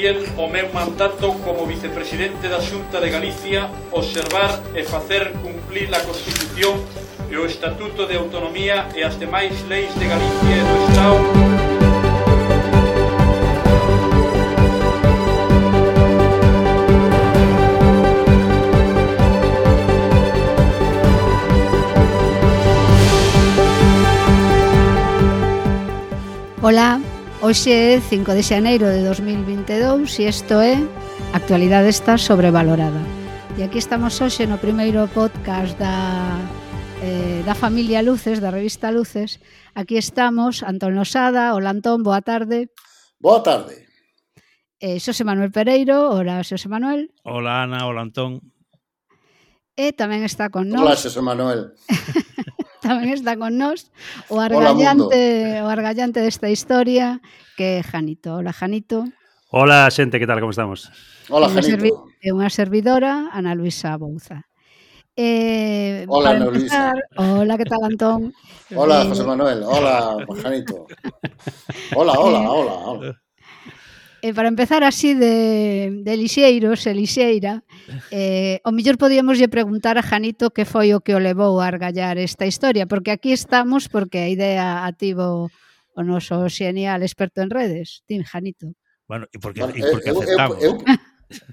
fiel ao meu mandato como vicepresidente da Xunta de Galicia, observar e facer cumplir a Constitución e o Estatuto de Autonomía e as demais leis de Galicia e do Estado. Ola, hoxe é 5 de xaneiro de 2022 e isto é Actualidade está sobrevalorada. E aquí estamos hoxe no primeiro podcast da familia Luces, da revista Luces. Aquí estamos, Antón Losada. Hola Antón, boa tarde. Boa tarde. Xosé Manuel Pereiro. Hola Xosé Manuel. Hola Ana, hola Antón. E tamén está con nós. Hola Xosé Manuel. Tamén está con nós o argallante desta historia, que é Janito. Hola, Janito. Hola, xente, que tal, como estamos? Hola, Janito. É unha servidora, Ana Luisa Bouza. Hola, Ana Luisa. Hola, que tal, Antón? Hola, José Manuel. Hola, Janito. Hola. Para empezar así de lixeiros e lixeira, o mellor podíamos lle preguntar a Janito que foi o que o levou a argallar esta historia, porque aquí estamos porque a idea a tivo o noso xenial experto en redes. Tim, Janito. Bueno, e porque aceptamos.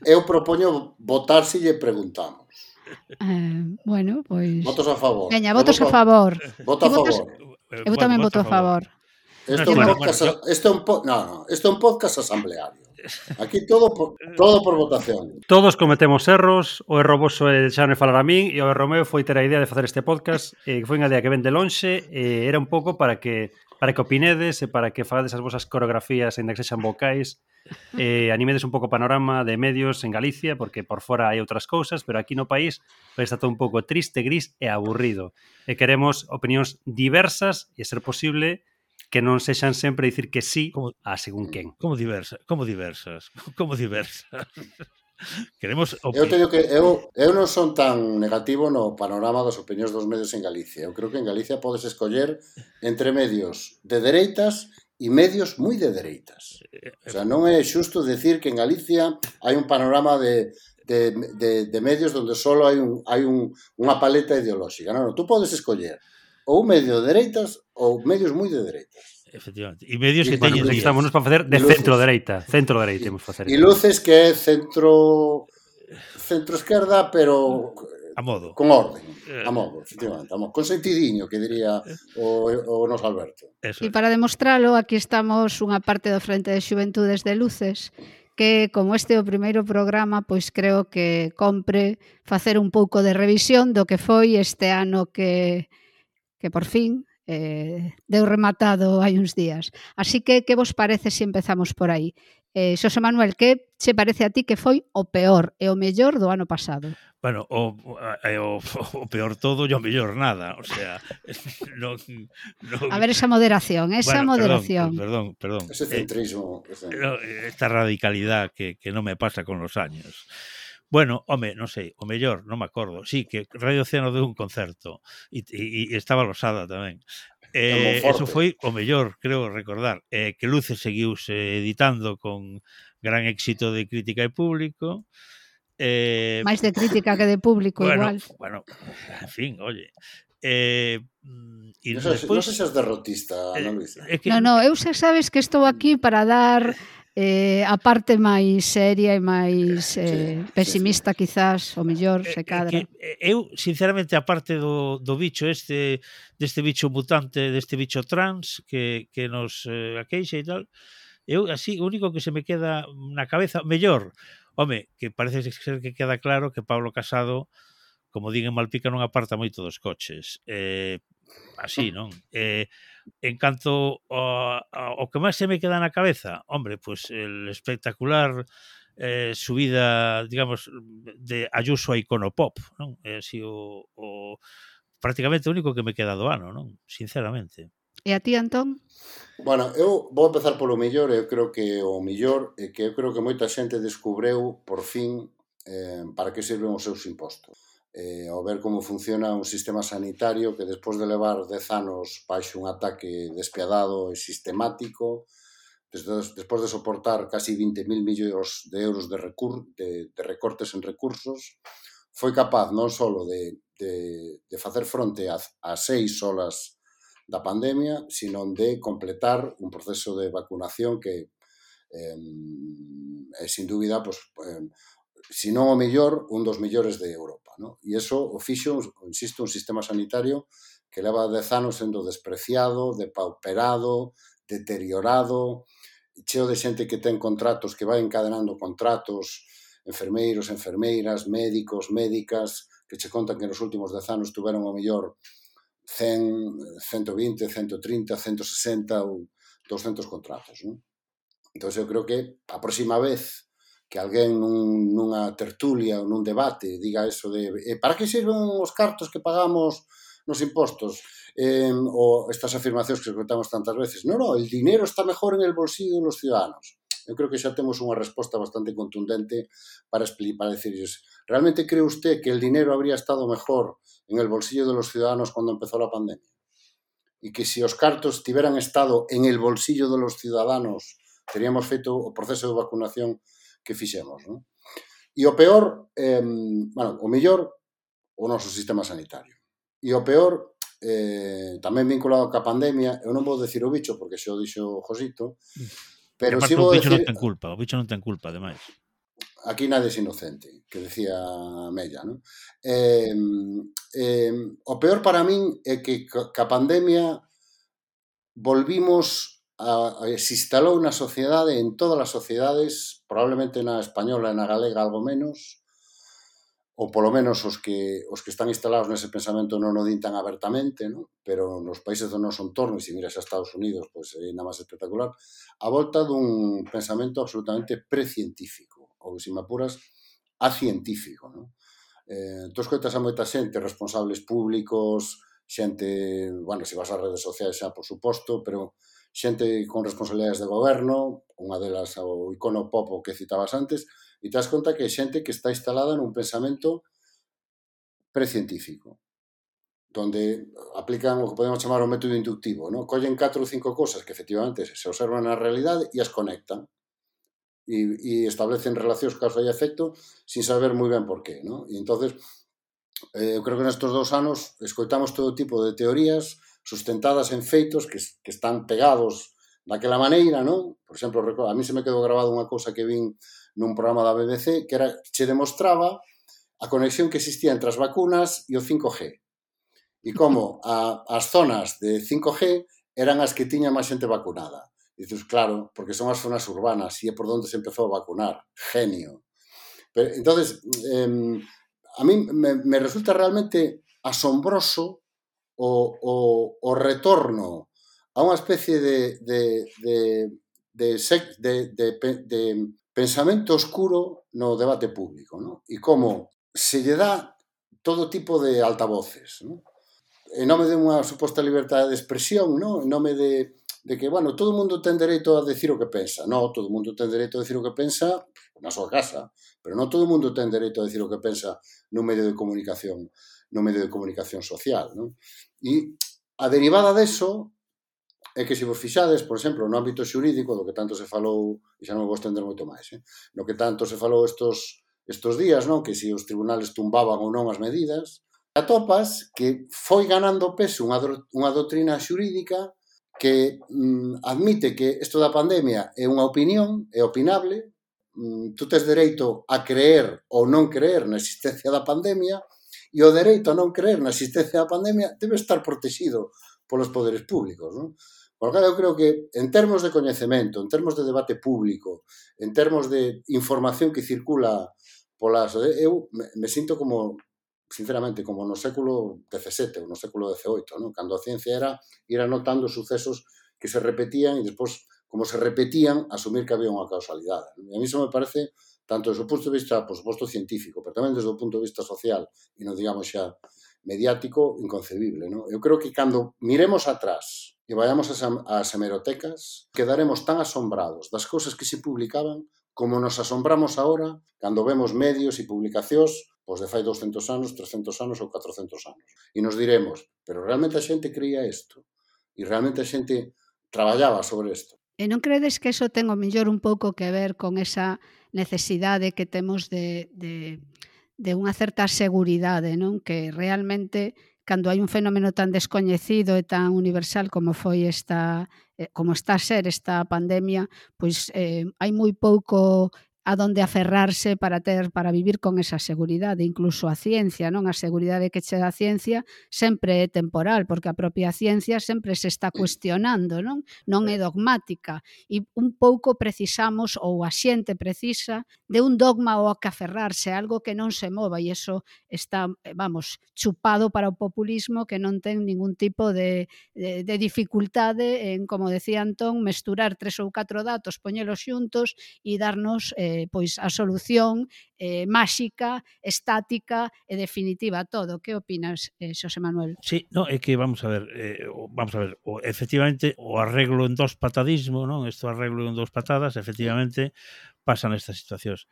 Eu propoño votar se lle preguntamos. Bueno, pois... Votos a favor. Veña, votos a favor. Voto a favor. Eu tamén voto a favor. Isto é un podcast asambleario. Aquí todo por votación. Todos cometemos erros, o erro voso é deixarme falar a min, e o erro meu foi ter a idea de facer este podcast, que foi unha idea que ven de lonxe, e era un pouco para que opinedes e para que fagades as vosas coreografías, ainda que sexan vocais, e animedes un pouco o panorama de medios en Galicia, porque por fora hai outras cousas, pero aquí no país está todo un pouco triste, gris e aburrido. E queremos opinións diversas e, a ser posible, que non sexan sempre dicir que sí a según quen. Como diversas? Queremos eu teño que eu non son tan negativo no panorama das opinións dos medios en Galicia. Eu creo que en Galicia podes escoller entre medios de dereitas e medios moi de dereitas. O sea, non é xusto decir que en Galicia hai un panorama de medios onde só hai unha paleta ideolóxica. Non, tú podes escoller ou medio de dereitas ou medios moi de dereitas. Efectivamente. E medios que teñen... Estamos para facer de centro-dereita. Centro-dereita imos facer. E Luces que é centro-esquerda, pero... A modo. Con orden. A modo, efectivamente. Con sentidiño, que diría o noso Alberto. E para demostralo, aquí estamos unha parte do Frente de Xuventudes de Luces, que como este é o primeiro programa, pois creo que compre facer un pouco de revisión do que foi este ano que por fin deu rematado hai uns días. Así que vos parece se empezamos por aí? Xosé Manuel, que che parece a ti que foi o peor e o mellor do ano pasado? Bueno, o peor todo e o mellor nada, o sea... No, a ver, esa moderación, moderación. Perdón. Ese centrismo. Esta radicalidad que non me pasa con los años. Bueno, home, non sei, o mellor, non me acordo. Sí, que Radio Océano deu un concerto e estaba Losada tamén. Eso foi o mellor, creo recordar. Que Luces seguiuse editando con gran éxito de crítica e público. Máis de crítica que de público, igual. Bueno, en fin, oye... Non sei se és derrotista, Ana Luisa. Non, eu xa sabes que estou aquí para dar... a parte máis seria e máis pesimista, quizás, o mellor, se cadra. Eu, sinceramente, a parte do bicho deste bicho mutante, deste bicho trans que nos aqueixa e tal, eu, así, o único que se me queda na cabeza, mellor, home, que parece ser que queda claro que Pablo Casado, como din en Malpica, non aparta moito dos coches. Así, non? En canto ao que máis se me queda na cabeza, hombre, pues el espectacular subida, digamos, de Ayuso a Iconopop, non? É así prácticamente o único que me queda do ano, non? Sinceramente. E a ti, Antón? Bueno, eu vou empezar polo mellor. Eu creo que o mellor é que eu creo que moita xente descubreu, por fin, para que sirven os seus impostos. Ao ver como funciona un sistema sanitario que despois de levar 10 anos baixo un ataque despiadado e sistemático, despois de soportar casi 20.000 millóns de euros de recortes en recursos, foi capaz non só de facer fronte a 6 olas da pandemia, sino de completar un proceso de vacunación que é, sin dúbida, se non o mellor, un dos mellores de Europa, ¿no? E iso o fixo, insisto, un sistema sanitario que leva 10 anos sendo despreciado, depauperado, deteriorado, cheo de xente que ten contratos, que vai encadenando contratos, enfermeiros, enfermeiras, médicos, médicas, que che contan que nos últimos 10 anos tuveron o mellor 100, 120, 130, 160 ou 200 contratos, ¿no? Entón, eu creo que a próxima vez que alguén nunha tertulia ou nun debate diga eso de para que sirven os cartos que pagamos nos impostos, ou estas afirmacións que escutamos tantas veces, no, el dinero está mejor en el bolsillo de los ciudadanos. Eu creo que xa temos unha resposta bastante contundente para decirles, ¿realmente cree usted que el dinero habría estado mejor en el bolsillo de los ciudadanos cuando empezó la pandemia? Y que si os cartos tiveran estado en el bolsillo de los ciudadanos, teríamos feito o proceso de vacunación que fixemos, ¿no? E o peor, o mellor, o noso sistema sanitario. E o peor, tamén vinculado ca pandemia, eu non vou decir o bicho, porque xa o dixo Josito, pero si vou decir... O bicho non ten culpa, ademais. Aquí nadie es inocente, que decía Mella, ¿no? O peor para min é que ca pandemia volvimos se instalou na sociedade, en todas as sociedades, probablemente na española e na galega algo menos, ou polo menos os que están instalados nese pensamento non o din tan abertamente, ¿no? Pero nos países do noso entorno, e se miras a Estados Unidos, pois é ainda máis espectacular, a volta dun pensamento absolutamente precientífico, ou, se me apuras, acientífico, ¿no? Tú escoitas a moita xente, responsables públicos, xente, bueno, se vas ás redes sociais xa, por suposto, pero xente con responsabilidades de goberno, unha delas o icono pop que citabas antes, e te das conta que é xente que está instalada nun pensamento precientífico, donde aplican o que podemos chamar o método inductivo, ¿no? Collen 4 ou 5 cosas que efectivamente se observan na realidade e as conectan e establecen relacións causa e efecto sin saber moi ben por qué, ¿no? E entonces, eu creo que nestes 2 anos escoitamos todo tipo de teorías sustentadas en feitos que están pegados daquela maneira, non? Por exemplo, a mí se me quedou grabado unha cousa que vin nun programa da BBC que che demostraba a conexión que existía entre as vacunas e o 5G. E como as zonas de 5G eran as que tiñan máis xente vacunada. E dices, claro, porque son as zonas urbanas e é por onde se empezou a vacunar. Genio. Pero, entonces, a mí me resulta realmente asombroso o retorno a unha especie de pensamento oscuro no debate público, ¿no? E como se lle dá todo tipo de altavoces, ¿no? En nome de unha suposta liberdade de expresión, ¿no? En nome de que, bueno, todo o mundo ten dereito a decir o que pensa. No, todo o mundo ten dereito a decir o que pensa na súa casa, pero non todo o mundo ten dereito a decir o que pensa nun medio de comunicación social, ¿no? E a derivada deso é que se vos fixades, por exemplo, no ámbito xurídico, do que tanto se falou, e xa non vou estender moito máis, no que tanto se falou estos días, non? Que se os tribunales tumbaban ou non as medidas, atopas que foi ganando peso unha doutrina xurídica que admite que isto da pandemia é unha opinión, é opinable, tú tes dereito a creer ou non creer na existencia da pandemia, e o dereito a non creer na existencia da pandemia debe estar protegido polos poderes públicos, non? Porque eu creo que en termos de coñecemento, en termos de debate público, en termos de información que circula polas... Eu me sinto como, sinceramente, como no século XVII ou no século XVIII, non? Cando a ciencia era ir anotando sucesos que se repetían e despois, como se repetían, asumir que había unha causalidade. E a mí iso me parece, tanto desde o punto de vista, por suposto, científico, pero tamén desde o punto de vista social e non digamos xa mediático, inconcebible, non? Eu creo que cando miremos atrás e vayamos ás hemerotecas, quedaremos tan asombrados das cousas que se publicaban como nos asombramos agora cando vemos medios e publicacións pois de fai 200 anos, 300 anos ou 400 anos. E nos diremos, pero realmente a xente creía isto? E realmente a xente traballaba sobre isto? E non credes que eso ten o mellor un pouco que ver con esa necesidade que temos de unha certa seguridade, non? Que realmente, cando hai un fenómeno tan descoñecido e tan universal como foi como está a ser esta pandemia, pois hai moi pouco a donde aferrarse para vivir con esa seguridade, incluso a ciencia, non? A seguridade que che dá a ciencia sempre é temporal, porque a propia ciencia sempre se está cuestionando, non? Non é dogmática, e un pouco precisamos, ou a xente precisa, de un dogma ao que aferrarse, algo que non se mova, e iso está, chupado para o populismo, que non ten ningún tipo de dificultade en, como decía Antón, mesturar 3 ou 4 datos, poñelos xuntos e darnos pois a solución máxica, estática e definitiva a todo. Que opinas, Xosé Manuel? Sí, no, é que vamos a ver, efectivamente o arreglo en dos patadismo, non? Isto arreglo en dos patadas, efectivamente pasan estas situacións.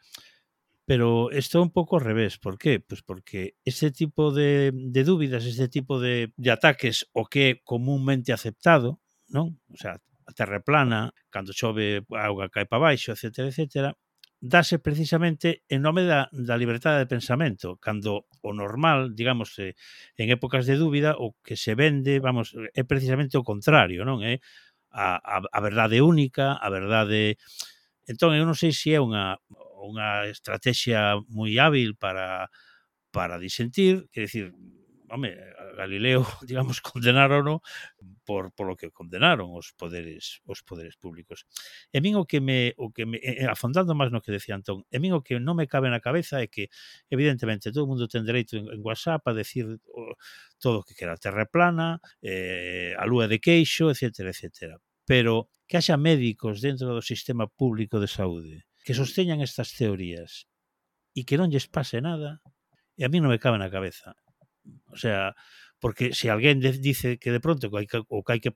Pero isto é un pouco ao revés. Por qué? Pois porque ese tipo de dúbidas, ese tipo de ataques o que é comúnmente aceptado, non? O sea, a terra é plana, cando chove a auga cae para baixo, etcétera, etcétera, dáse precisamente en nome da liberdade de pensamento, cando o normal, digamos, en épocas de dúbida, o que se vende, vamos, é precisamente o contrario, non? É a verdade única, a verdade... Entón, eu non sei se é unha estrategia moi hábil para disentir, quer decir, home, a Galileo, digamos, condenaron por lo que condenaron os poderes públicos. E min o que me afondando máis no que decía Antón, e min o que non me cabe na cabeza é que, evidentemente, todo o mundo ten dereito en WhatsApp a decir todo o que quera, a terra plana, a lúa de queixo, etcétera, etcétera. Pero que haxa médicos dentro do sistema público de saúde que sosteñan estas teorías e que non lles pase nada, e a mí non me cabe na cabeza. O sea, porque se alguén dice que de pronto que hai que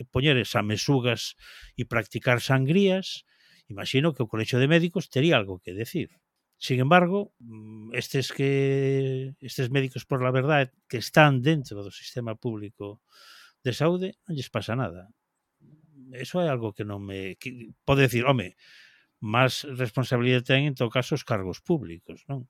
poñer mesugas e practicar sangrías, imagino que o Colexio de Médicos tería algo que decir. Sin embargo, estes médicos por la verdade que están dentro do sistema público de saúde non lles pasa nada. Eso é algo que non me... Pode decir, home, máis responsabilidade ten en todo caso os cargos públicos, non?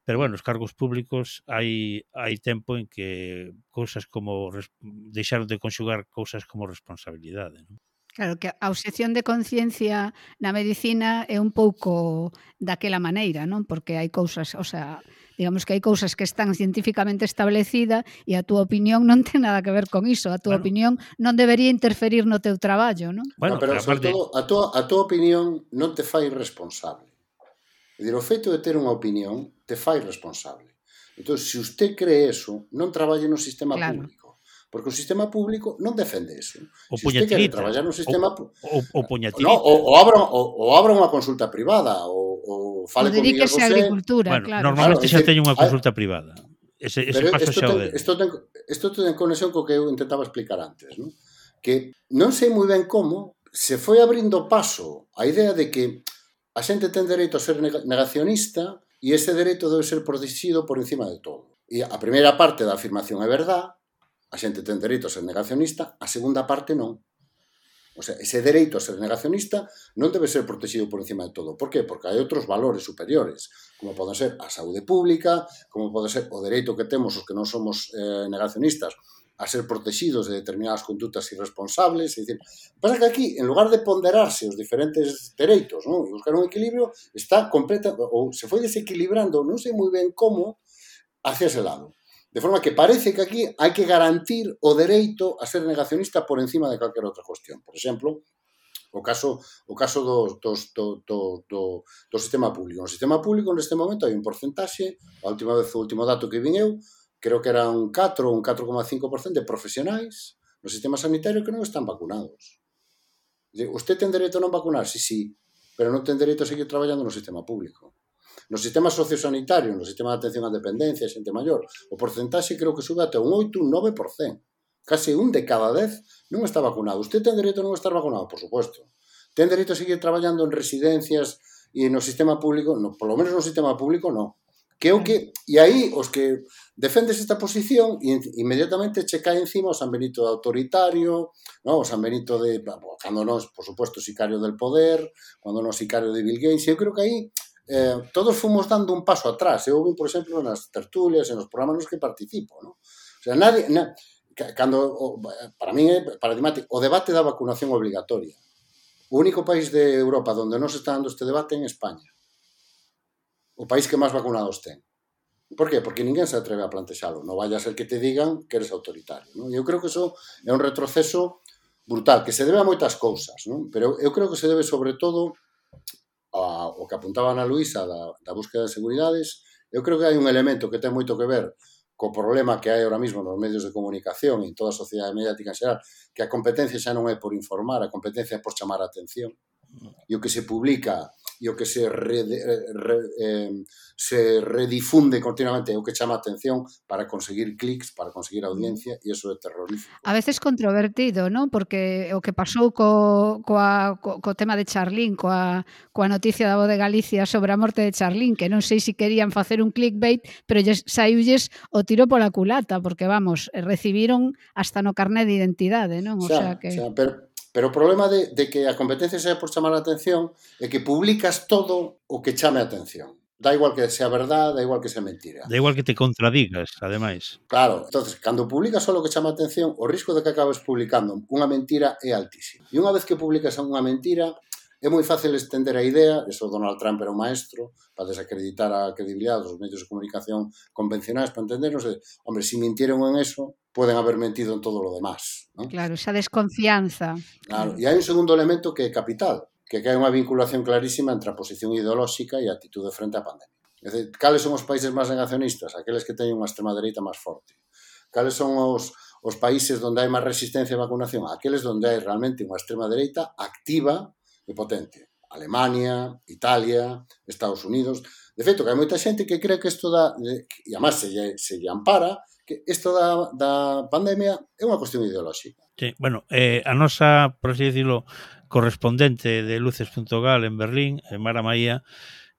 Pero, bueno, os cargos públicos hai tempo en que cousas como deixaron de conxugar cousas como responsabilidade, non? Claro, que a obxección de conciencia na medicina é un pouco daquela maneira, non? Porque hai cousas, o sea, digamos que hai cousas que están científicamente establecidas e a túa opinión non ten nada que ver con iso. A túa opinión non debería interferir no teu traballo, non? Bueno, pero sobre todo, a túa opinión non te fai responsable. É dicir, o feito de ter unha opinión te fai responsable. Entón, se usted cree eso, non traballe no sistema público. Porque o sistema público non defende eso. Se usted quere traballar no sistema público... O abra unha consulta privada, ou fale con Miguel Bosé... Agricultura, bueno, claro. Normalmente xa teño unha consulta privada. Ese paso xa o den. Isto ten conexión co que eu intentaba explicar antes, non? Que non sei moi ben como se foi abrindo paso a idea de que a xente ten dereito a ser negacionista e ese dereito debe ser protegido por encima de todo. E a primeira parte da afirmación é verdade, a xente ten dereito a ser negacionista, a segunda parte non. O sea, ese dereito a ser negacionista non debe ser protegido por encima de todo. Por qué? Porque hai outros valores superiores, como poden ser a saúde pública, como pode ser o dereito que temos os que non somos negacionistas a ser protegidos de determinadas condutas irresponsables. É dicir, pasa que aquí, en lugar de ponderarse os diferentes dereitos, non, e buscar un equilibrio, está completa, ou se foi desequilibrando, non sei moi ben como, hacia ese lado. De forma que parece que aquí hai que garantir o dereito a ser negacionista por encima de calquera outra cuestión. Por exemplo, o caso do sistema público. No sistema público, neste momento, hai un porcentaxe, o último dato que vin eu, creo que era un 4 ou un 4,5% de profesionais no sistema sanitario que non están vacunados. Usted ten dereito a non vacunarse? Sí, pero non ten dereito a seguir traballando no sistema público. No sistema sociosanitario, no sistema de atención á dependencia, xente maior, o porcentaxe creo que sube até un 8, un 9%. Case un de cada 10 non está vacunado. Usted ten dereito a non estar vacunado, por suposto. Ten dereito a seguir traballando en residencias e no sistema público? No, por lo menos no sistema público, non. Que o que... E aí, os que defendes esta posición, inmediatamente che cae encima o San Benito de autoritario, no? O San Benito de... Cando non, por suposto, sicario del poder, cando non sicario de Bill Gates. Eu creo que aí todos fomos dando un paso atrás. Eu vi, por exemplo, nas tertulias, en os programas nos que participo, no? O sea, nadie... Cando, para mí é paradigmático, o debate da vacunación obligatoria. O único país de Europa onde non se está dando este debate é en España. O país que máis vacunados ten. Por qué? Porque ninguén se atreve a plantexalo. Non vaya a ser que te digan que eres autoritario. Non? Eu creo que eso é un retroceso brutal, que se debe a moitas cousas, non? Pero eu creo que se debe sobre todo ao que apuntaba Ana Luisa da búsqueda de seguridades. Eu creo que hai un elemento que ten moito que ver co problema que hai ahora mesmo nos medios de comunicación e en toda a sociedade mediática en xeral, que a competencia xa non é por informar, a competencia é por chamar a atención. E o que se publica e o que se redifunde continuamente é o que chama a atención para conseguir clics, para conseguir audiencia, e iso é terrorífico. A veces controvertido, non? Porque o que pasou co tema de Charlín, coa noticia da Voz de Galicia sobre a morte de Charlín, que non sei se querían facer un clickbait, pero saíulles o tiro pola culata, porque, vamos, recibiron hasta no carné de identidade, non? O sea que... Pero o problema de que a competencia sea por chamar a atención é que publicas todo o que chame a atención. Da igual que sea verdade, da igual que sea mentira. Da igual que te contradigas, ademais. Claro, entonces, cando publicas só o que chama a atención, o risco de que acabes publicando unha mentira é altísimo. E unha vez que publicas unha mentira, é moi fácil estender a idea, eso Donald Trump era un maestro, para desacreditar a credibilidade dos medios de comunicación convencionais, para entendernos, hombre, se mintieron en eso, poden haber mentido en todo lo demás, ¿no? Claro, esa desconfianza. Claro, e hai un segundo elemento que é capital, que hai unha vinculación clarísima entre a posición ideolóxica e a actitude frente á pandemia. É dicir, cales son os países máis negacionistas? Aqueles que teñen unha extrema dereita máis forte. Cales son os países onde hai máis resistencia á vacunación? Aqueles onde hai realmente unha extrema dereita activa e potente. Alemania, Italia, Estados Unidos. De feito, que hai moita xente que cree que isto e además se lle ampara, que isto da pandemia é unha cuestión ideolóxica. Sí, bueno, a nosa, por así decirlo, correspondente de Luces.gal en Berlín, Mara Maía,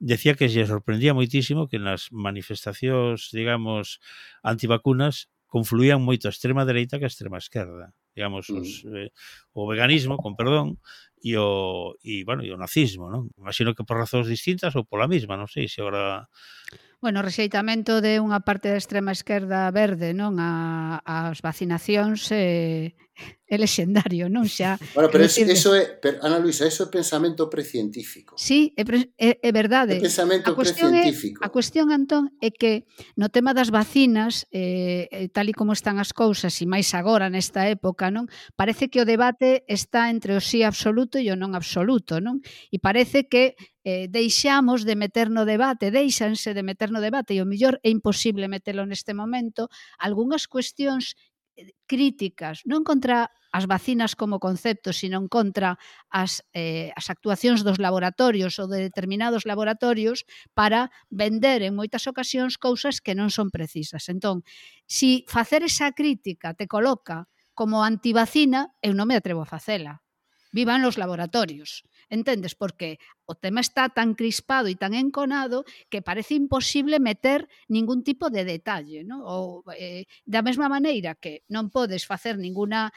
decía que lle sorprendía moitísimo que nas manifestacións, digamos, antivacunas confluían moito a extrema dereita que a extrema esquerda. Digamos, o veganismo, con perdón, e o nazismo, non? Imagino que por razóns distintas ou pola mesma, non sei se agora... Bueno, o rexeitamento de unha parte da extrema esquerda verde, non, as vacinacións é lexendario, non? Xa. Bueno, pero eso é, Ana Luisa, eso é pensamento precientífico. Sí, é verdade. É pensamento precientífico. A cuestión, Antón, é que no tema das vacinas, tal e como están as cousas, e máis agora nesta época, non? Parece que o debate está entre o sí absoluto e o non absoluto, non? E parece que deixamos de meter no debate, deixanse de meter no debate, e o mellor é imposible metelo neste momento, algunhas cuestións críticas, non contra as vacinas como concepto, sino contra as actuacións dos laboratorios ou de determinados laboratorios para vender en moitas ocasións cousas que non son precisas. Entón, si facer esa crítica te coloca como antivacina, eu non me atrevo a facela. Vivan los laboratorios. Entendes? Porque o tema está tan crispado e tan enconado que parece imposible meter ningún tipo de detalle, ¿no? Ou, da mesma maneira que non podes facer ninguna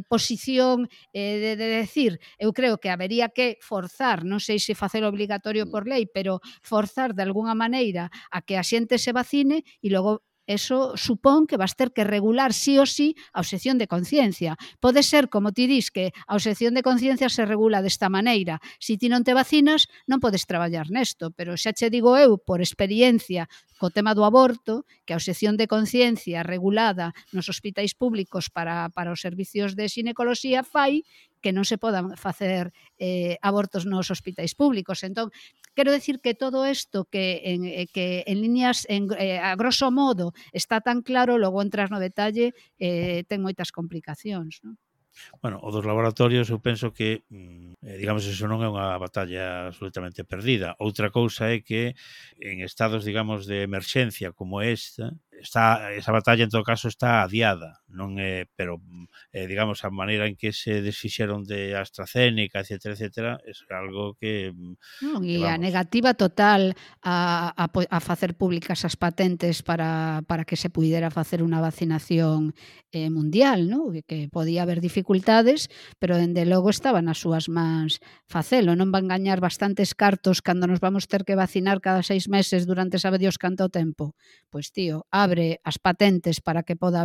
posición de decir, eu creo que habería que forzar, non sei se facer obligatorio por lei, pero forzar de alguna maneira a que a xente se vacine e logo eso supón que vas ter que regular sí ou sí a obxección de conciencia. Pode ser, como ti dis, que a obxección de conciencia se regula desta maneira. Se ti non te vacinas, non podes traballar nesto, pero xa che digo eu, por experiencia, co tema do aborto, que a obxección de conciencia regulada nos hospitais públicos para os servicios de xinecoloxía fai que non se podan facer abortos nos hospitais públicos. Entón, quero decir que todo isto que en líneas, a grosso modo, está tan claro, logo entras no detalle, ten moitas complicacións, non? Bueno, o dos laboratorios eu penso que, digamos, eso non é unha batalla absolutamente perdida. Outra cousa é que en estados, digamos, de emerxencia como esta, esa batalla en todo caso está adiada, non é, pero digamos a maneira en que se desfixeron de AstraZeneca, etcétera, é algo que Non, e a negativa total a facer públicas as patentes para que se puidera facer unha vacinación mundial, non? Que podía haber dificultades, pero dende logo estaba nas súas mans facelo. Non van gañar bastantes cartos cando nos vamos ter que vacinar cada 6 meses durante sabe Dios canto tempo. Pois, tío, abre as patentes para que poda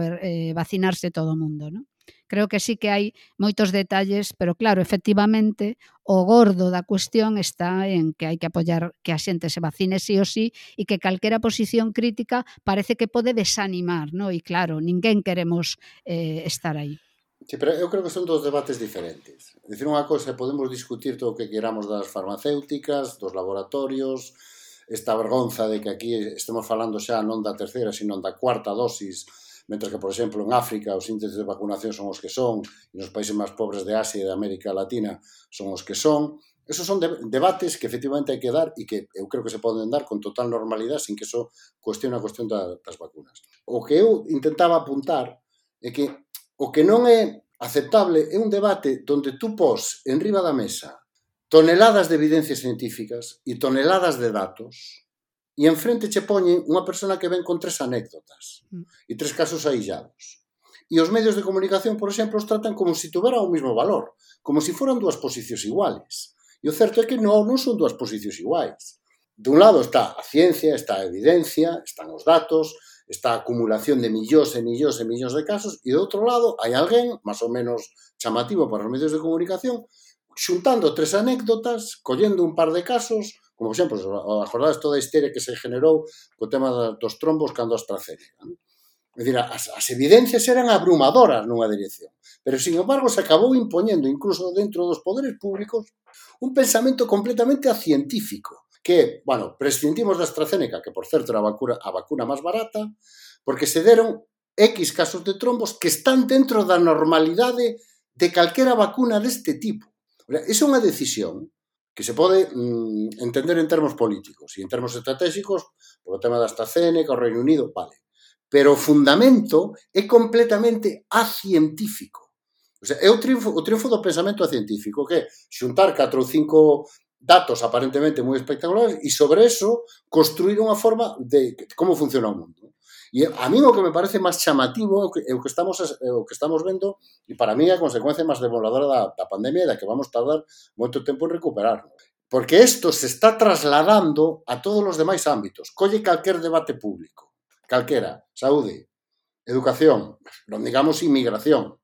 vacinarse todo o mundo, non? Creo que sí que hai moitos detalles, pero claro, efectivamente, o gordo da cuestión está en que hai que apoiar que a xente se vacine sí ou sí e que calquera posición crítica parece que pode desanimar, non? E claro, ninguén queremos estar aí. Sí, pero eu creo que son dos debates diferentes. Dicir unha cosa, podemos discutir todo o que queramos das farmacéuticas, dos laboratorios, esta vergonza de que aquí estemos falando xa non da terceira, sino da cuarta dosis, mentre que, por exemplo, en África os índices de vacunación son os que son, e nos países máis pobres de Asia e de América Latina son os que son. Esos son debates que efectivamente hai que dar e que eu creo que se poden dar con total normalidade sin que eso cuestione a cuestión das vacunas. O que eu intentaba apuntar é que o que non é aceptable é un debate onde tú pos en riba da mesa toneladas de evidencias científicas e toneladas de datos e enfrente che poñen unha persona que ven con 3 anécdotas e 3 casos aillados. E os medios de comunicación, por exemplo, os tratan como se tuveran o mesmo valor, como se foran dúas posicións iguales. E o certo é que non son dúas posicións iguais. De un lado está a ciencia, está a evidencia, están os datos, está a acumulación de millóns e millóns e millóns de casos, e do outro lado hai alguén, máis ou menos chamativo para os medios de comunicación, xuntando 3 anécdotas, collendo un par de casos, como, por exemplo, acordades toda a histeria que se generou co tema dos trombos cando AstraZeneca. É dicir, as evidencias eran abrumadoras nunha dirección, pero, sin embargo, se acabou impoñendo, incluso dentro dos poderes públicos, un pensamento completamente científico, que, bueno, prescindimos da AstraZeneca, que, por certo, era a vacuna máis barata, porque se deron X casos de trombos que están dentro da normalidade de calquera vacuna deste tipo. Esa é unha decisión que se pode entender en termos políticos e en termos estratégicos polo tema da AstraZeneca, o Reino Unido, vale. Pero o fundamento é completamente acientífico. O sea, é o triunfo do pensamento científico, que é xuntar 4 ou 5 datos aparentemente moi espectaculares e sobre eso construir unha forma de como funciona o mundo. E a mí o que me parece máis chamativo é o que estamos vendo, e para mí é a consecuencia máis demoledora da pandemia e da que vamos tardar moito tempo en recuperarnos. Porque isto se está trasladando a todos os demais ámbitos. Colle calquer debate público, calquera, saúde, educación, non digamos inmigración.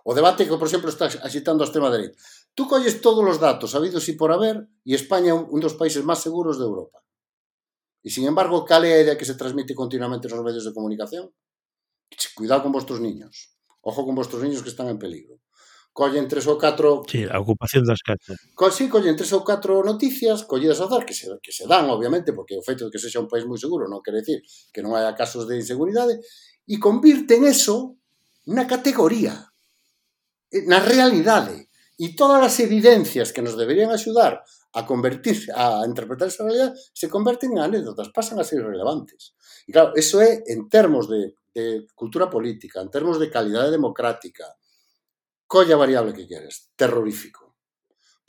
O debate que, por exemplo, está agitando a extrema dereita. Tú colles todos os datos habidos e por haber e España é un dos países máis seguros de Europa. E, sin embargo, cal é a idea que se transmite continuamente nos medios de comunicación? Cuidado con vuestros niños. Ojo con vuestros niños que están en peligro. Collen 3 ou 4... Sí, a ocupación das casas. Sí, collen 3 ou 4 noticias collidas a dar, que se dan, obviamente, porque o feito de que sexa un país moi seguro non quere decir que non haya casos de inseguridade, e convirten eso na categoría, na realidade. E todas as evidencias que nos deberían axudar a interpretar esa realidade se converten en anécdotas, pasan a ser irrelevantes. E claro, eso é en termos de cultura política, en termos de calidade democrática, colla variable que queres, terrorífico.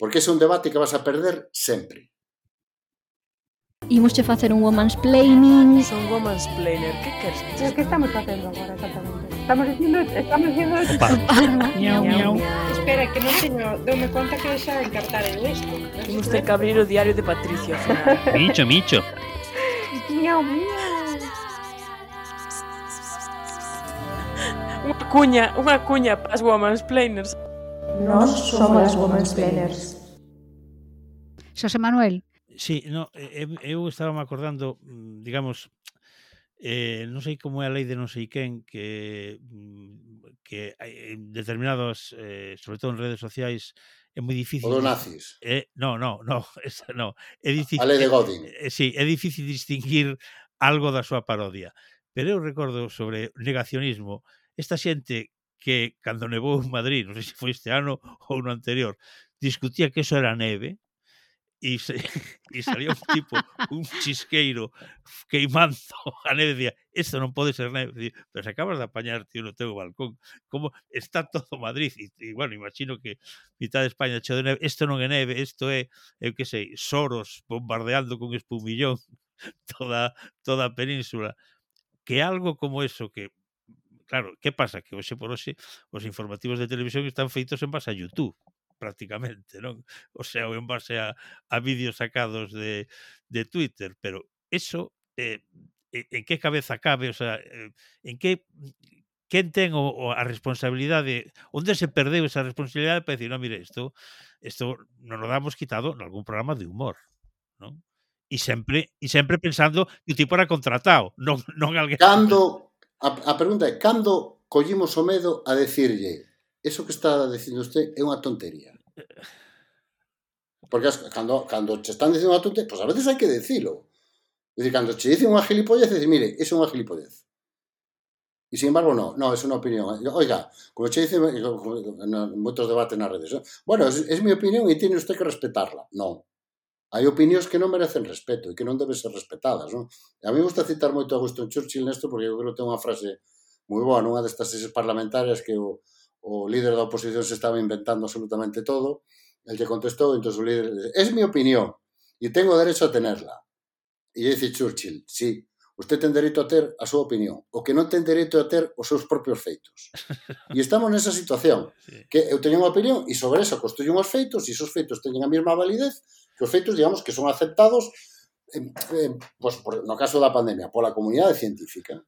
Porque ese é un debate que vas a perder sempre. Imos che facer un woman's planning. Son woman's planner, que queres? Pero que estamos facendo agora exactamente? Estamos dicindo Miau, miau. Espera, que non teño, doume conta que xa encartar eu isto. Temos que abrir o diario de Patricia. Micho. Miau, miau. Unha cuña para as woman's planners. Nós somos as woman's planners. Xosé Manuel. Sí, no, eu estaba me acordando, digamos, non sei como é a lei de non sei quen que en determinados, sobre todo en redes sociais, é moi difícil... O dos nazis. No, esa non. É difícil, a lei de Godin. Sí, é difícil distinguir algo da súa parodia. Pero eu recordo sobre negacionismo, esta xente que, cando nevou en Madrid, non sei se foi este ano ou no anterior, discutía que eso era neve, e salía un tipo, un chisqueiro queimando a neve, dicía, isto non pode ser neve, pero se acabas de apañar, tío, no teu balcón, como está todo Madrid, e bueno, imagino que mitad de España cheo de neve, isto non é neve, isto é, eu que sei, Soros bombardeando con espumillón toda a península, que algo como eso, que claro, que pasa? Que hoxe por hoxe os informativos de televisión están feitos en base a YouTube, prácticamente, non? O sea, ou en base a vídeos sacados de Twitter, pero eso, en que cabeza cabe? O sea, en que quen ten a responsabilidade, onde se perdeu esa responsabilidade para decir, non, mire, isto nos lo damos quitado en algún programa de humor, non? E sempre pensando que o tipo era contratado, non alguén... A pregunta é, cando collimos o medo a decirlle eso que está dicindo usted é unha tontería? Porque cando che están dicindo unha tontería, pois a veces hai que decilo. É dicir, cando che dicen unha gilipollez, dices, mire, eso é unha gilipollez. E, sin embargo, no, é unha opinión. Oiga, como che dicen moitos debates nas redes, bueno, é mi opinión e tiene usted que respetarla. Non. Hai opinións que non merecen respeto e que non deben ser respetadas, non? A mí me gusta citar moito a Winston Churchill nesto porque eu creo que ten unha frase moi boa nunha destas seses parlamentarias que o líder da oposición se estaba inventando absolutamente todo. El lle contestou, entón o líder dice, es mi opinión e tengo derecho a tenerla. E dice Churchill, sí, usted ten dereito a ter a súa opinión, o que non ten dereito a ter os seus propios feitos. E estamos nesa situación, que eu teño unha opinión e sobre eso construyo uns feitos e esos feitos teñen a mesma validez que os feitos, digamos, que son aceptados pues, no caso da pandemia, pola comunidade científica.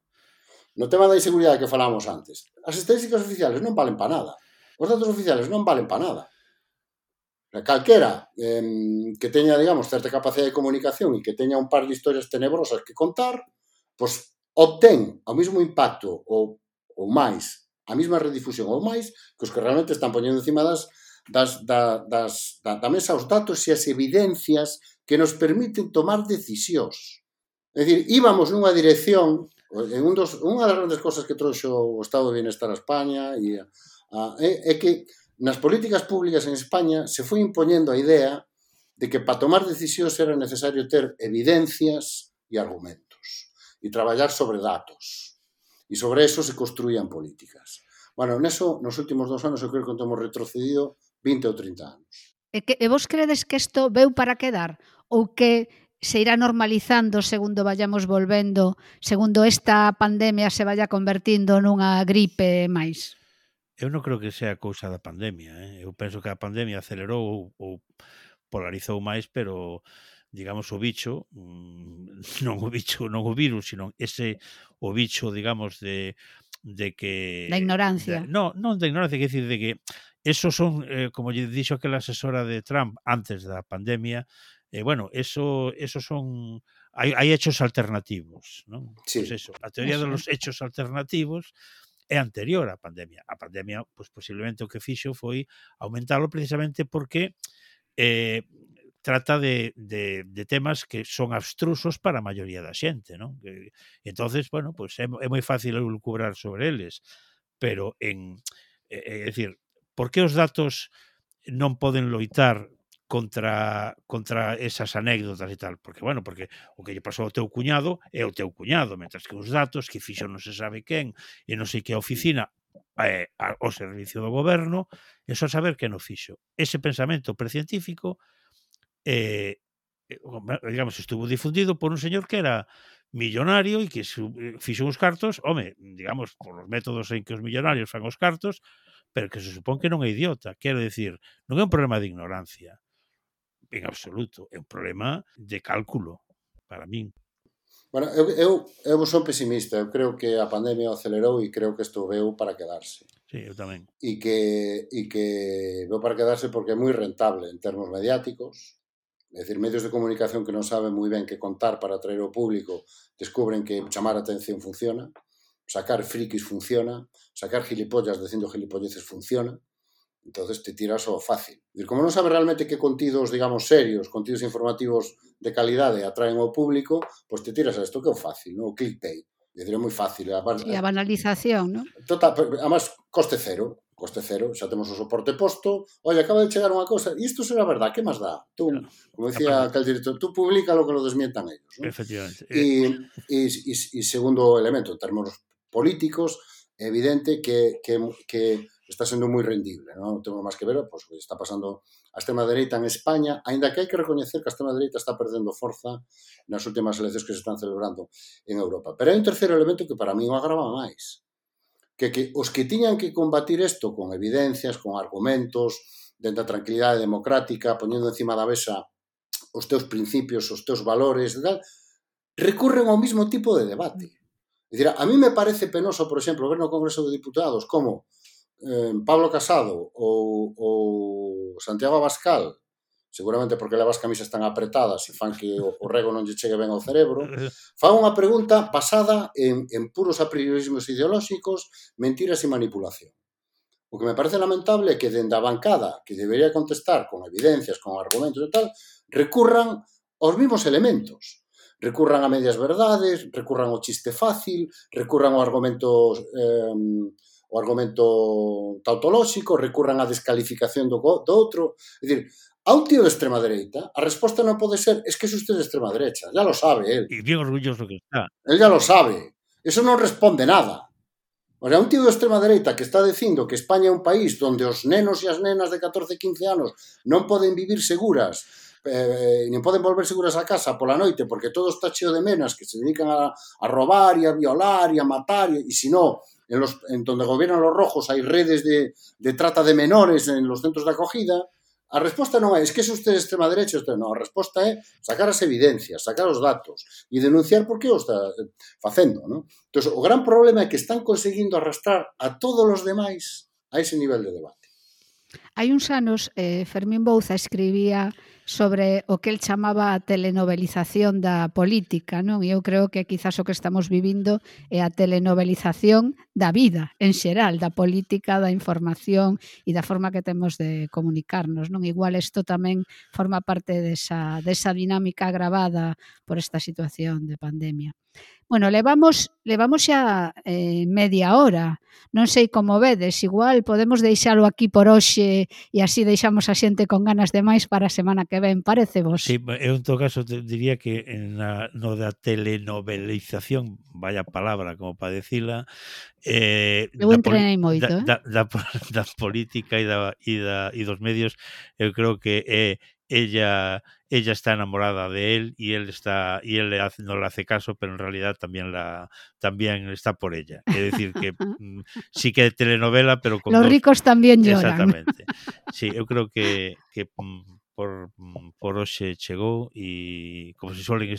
No tema da inseguridade que falamos antes, as estadísticas oficiales non valen para nada. Os datos oficiales non valen para nada. Calquera que teña, digamos, certa capacidade de comunicación e que teña un par de historias tenebrosas que contar, pois obtén o mesmo impacto ou máis, a mesma redifusión ou máis que os que realmente están poñendo encima da mesa os datos e as evidencias que nos permiten tomar decisións. É dicir, íbamos nunha dirección, unha das grandes cosas que trouxo o Estado de Bienestar a España é que nas políticas públicas en España se foi impoñendo a idea de que para tomar decisións era necesario ter evidencias e argumentos e traballar sobre datos e sobre eso se construían políticas. Bueno, neso, nos últimos 2 anos eu creo que temos retrocedido 20 ou 30 anos. E vos credes que isto veu para quedar? Ou que se irá normalizando segundo vayamos volvendo, segundo esta pandemia se vaya convertindo nunha gripe máis? Eu non creo que sea cousa da pandemia. Eu penso que a pandemia acelerou ou polarizou máis, pero, digamos, o bicho, non o virus, sino o bicho, digamos, de que... Da ignorancia. Non da ignorancia, quer dicir, de que esos son, como lle dixo aquela asesora de Trump antes da pandemia, bueno, esos son... Hai hechos alternativos, non? Sí. Pues eso, a teoría dos hechos alternativos é anterior á pandemia. A pandemia, pois, posiblemente o que fixo foi aumentalo precisamente porque trata de temas que son abstrusos para a maioría da xente, non? E entonces, bueno, pois é moi fácil lucubrar sobre eles, pero é dicir, por que os datos non poden loitar contra esas anécdotas e tal, porque, bueno, porque o que lle pasou ao teu cuñado é o teu cuñado, mentras que os datos que fixo non se sabe quen e non sei que a oficina ao servicio do goberno, é só saber quen o fixo. Ese pensamento precientífico digamos, estuvo difundido por un señor que era millonario e que fixo uns cartos, home, digamos, por os métodos en que os millonarios fan os cartos, pero que se supón que non é idiota. Quero dicir, non é un problema de ignorancia, en absoluto, é un problema de cálculo, para min. Bueno, eu son pesimista, eu creo que a pandemia acelerou e creo que isto veu para quedarse. Sí, eu tamén. E que veu para quedarse porque é moi rentable en termos mediáticos, é dicir, medios de comunicación que non saben moi ben que contar para atraer ao público, descubren que chamar a atención funciona, sacar frikis funciona, sacar gilipollas dicindo gilipolleces funciona, entonces te tiras ao fácil. Como non sabes realmente que contidos, digamos, serios, contidos informativos de calidade atraen ao público, pois te tiras a isto que é o fácil, non? O clickbait. É moi fácil. E a banalización, non? Total, además, coste cero. coste cero, xa temos o soporte posto, oye, acaba de chegar unha cosa, e isto será verdad, que máis dá? Tú, como decía aquel director, tú publica lo que lo desmientan ellos, ¿no? Efectivamente. E segundo elemento, en términos políticos, é evidente que está sendo moi rendible, non temos máis que ver, pois, que está pasando a extrema dereita en España, aínda que hai que recoñecer que a extrema dereita está perdendo forza nas últimas eleccións que se están celebrando en Europa. Pero hai un terceiro elemento que para mí o agrava máis, que os que tiñan que combatir isto con evidencias, con argumentos, dentro da tranquilidade democrática, poñendo encima da mesa os teus principios, os teus valores, tal, recurren ao mismo tipo de debate. É dicir, a mí me parece penoso, por exemplo, ver no Congreso de Diputados como Pablo Casado ou Santiago Abascal, seguramente porque levas camisas tan apretadas e fan que o rego non lle chegue ben ao cerebro, fan unha pregunta basada en puros apriorismos ideolóxicos, mentiras e manipulación. O que me parece lamentable é que dende a bancada, que debería contestar con evidencias, con argumentos e tal, recurran aos mesmos elementos. Recurran a medias verdades, recurran ao chiste fácil, recurran ao argumento tautolóxico, recurran á descalificación do outro. É dicir, a un tío de extrema dereita, a resposta non pode ser es que es usted de extrema derecha, ya lo sabe él. E bien orgulloso que está. Él ya lo sabe. Eso non responde nada. O sea, un tío de extrema dereita que está dicindo que España é un país onde os nenos e as nenas de 14 e 15 anos non poden vivir seguras, non poden volver seguras a casa pola noite porque todo está cheo de menas que se dedican a robar e a violar e a matar e se non, en donde gobiernan los rojos hai redes de trata de menores en los centros de acogida. A resposta non é, es que é usted de extrema derecha, non, a resposta é sacar as evidencias, sacar os datos e denunciar por que o está facendo, non? Entón, o gran problema é que están conseguindo arrastrar a todos os demais a ese nivel de debate. Hai uns anos, Fermín Bouza escribía sobre o que el chamaba a telenovelización da política, non? E eu creo que quizás o que estamos vivindo é a telenovelización da vida, en xeral, da política, da información e da forma que temos de comunicarnos, non? Igual isto tamén forma parte desa dinámica agravada por esta situación de pandemia. Bueno, levamos xa media hora. Non sei como vedes, igual podemos deixalo aquí por hoxe e así deixamos a xente con ganas de máis para a semana que ven, parece vos? Sí, eu en todo caso diría que no da telenovelización, vaya palabra como para decila, eu entrenei moito, da política e dos medios, eu creo que ella está enamorada de él y él no le hace caso, pero en realidad también está por ella. Es decir, que sí que telenovela, pero con los ricos también lloran. Exactamente. Sí, eu creo que por hoxe chegou e, como se suelen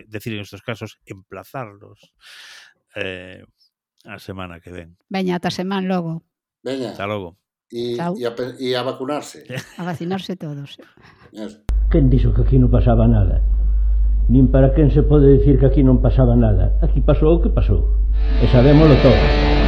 decir en estos casos, emplazarlos a semana que ven. Veña, ata semana logo. Veña. Hasta logo. E a vacunarse. A vacinarse todos. Quen dixo que aquí non pasaba nada? Nin para quen se pode dicir que aquí non pasaba nada. Aquí pasou o que pasou. E sabémolo todo.